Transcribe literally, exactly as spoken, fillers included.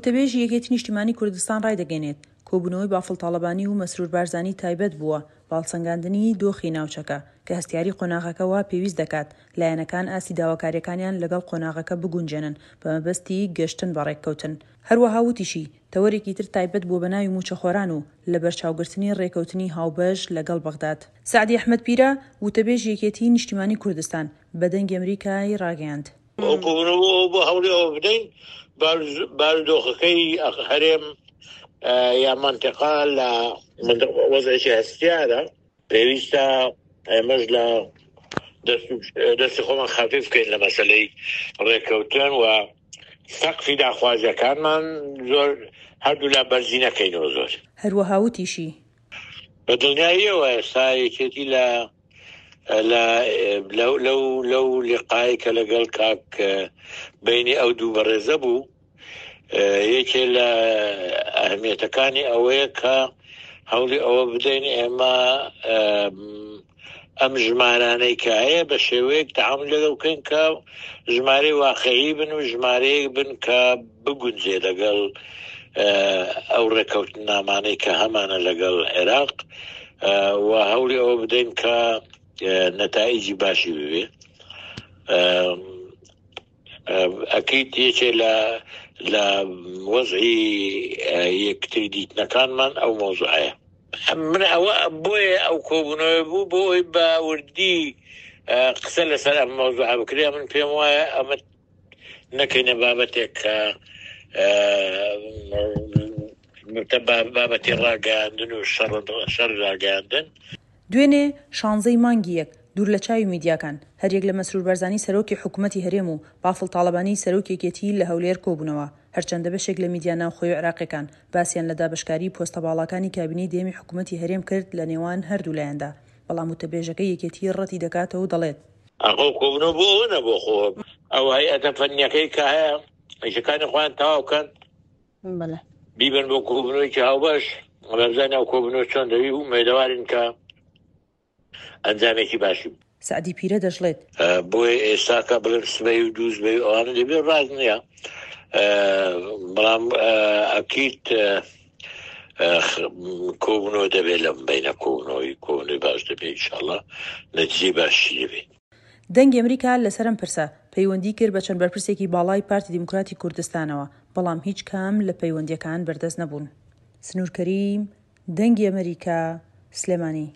وتەبێژی یەکێتی نیشتیمانی کوردستان ڕایدەگەینێت، کۆبوونەوەی بافڵ تاڵەبانی و مەسرور بارزانی تایبەت بووە بە هەڵسەنگاندنی دۆخی ناوچەکە، کە هەستیاری قۆناغەکە وا پێویست دەکات لایەنەکان ئاستی داواکارییەکانیان لەگەڵ قۆناغەکە بگونجێنن بەمەبەستی گەشتن بە ڕێککەوتن. هەروەها وتیشی، تەوەرێکی تر تایبەت بووە بە ناوی مووچەخۆران و لەبەرچاوگرتنی ڕێککەوتنی هاوبەش لەگەڵ بەغداد. سەعدی ئەحمەد پیرە، وتەبێژی یەکێتیی نیشتیمانیی کوردستان، بە دەنگی ئەمریکای ڕاگەیاند، ئەو کۆبوونەوە ئەو بۆ هەوڵی ئەوە بدەین بارودۆخەکەی هەرێم یا مەنتیقە لە وەزعێکی هەستیارە، پێویستە ئێمەش لە دەستی خۆمان خەفیف بکەین لە مەسەلەی ڕێککەوتن و سەقفی داخوازیەکانمان زۆر هەردوولا بەرزی نەکەینەوە زۆر. هەروەها وتیشی. بە دڵنیاییەوە ئێستا یەکێتی لە لە لەو لەو لەو لقای کە لەگەڵ کاک بینی ئەو دوو بەڕێزە بوو، یەکێ لە ئەهمیەتەکانی ئەوەیە کە هەوڵی ئەوە بدەین ئێمە ئەم ژمارانەی کە هەیە بە شێوەیەک تەعامول لەگەڵ بکەین کە ژمارەی واقعی بن و ژمارەیەک بن کە بگونجێ لەگەڵ ئەو ڕێککەوتنامانەی کە هەمانە لەگەڵ عێراق و هەوڵی ئەوە بدەین کە نەتائیجی باشی ببێ. ئەکید یەکێ لە لە وەزعی یەکتری دیتنەکانمان ئەو مەوزوعەیە. من ئەوە بۆیە ئەو کۆبوونەوە بوو بۆ ئەوەی بە وردی قسە لەسەر ئەم مەوزوعە بکرێ. من پێم وایە ئەمە نەکەینە بابەتێک کە بابەتی ڕاگەیاندن و شەڕ ڕاگەیاندن. دوێنێ شانزەی مانگی یەک، دوور لە چاوی میدیاکان، هەریەک لە مەسرور بارزانی سەرۆکی حکومەتی هەرێم و بافڵ تاڵەبانی سەرۆکی یەکێتی لە هەولێر کۆبوونەوە، هەرچەندە بەشێک لە میدیا ناوخۆیی و عێراقیەکان باسیان لە دابەشکاریی پۆستە باڵاکانی کابینەی دەیەمی حکومەتی هەرێم کرد لە نێوان هەردوو لایەندا، بەڵام وتەبێژەکەی یەکێتی ڕەتی دەکاتەوە و دەڵێت. ئەو کۆبوونەوە بۆ ئەوە نەبوو خۆ ئەو هەیئەتە فەنیەکەی کە هەیە ئیشەکانی خۆیان تەواو بکەن بیبەن بۆ کۆبوونەوەیەکی هاوبەش، بزانین ئەو کۆبوونەوە چۆن دەبی و ئومێدەوارین کە ئەنجامێکی باشی بوو. سەعدی پیرە دەشڵێت. بۆیە ئێستاکە بڵێم سبەی و دوو سبەی و ئەوانە دەبێت ڕاست نییە، بەڵام ئەکید کۆبوونەوە دەبێت لەم بینە، کۆبوونەوەی کۆبوونەوەی باش دەبێت ئینشاڵڵا، نەتیجەی باشی دەبێت. دەنگی ئەمریکا لەسەر ئەم پرسە پەیوەندی کرد بە چەند بەرپرسێکی باڵای پارتی دیموکراتی کوردستانەوە، بەڵام هیچ کام لە پەیوەندییەکان بەردەست نەبوون. سنوور کەریم، دەنگی ئەمریکا، سلێمانی.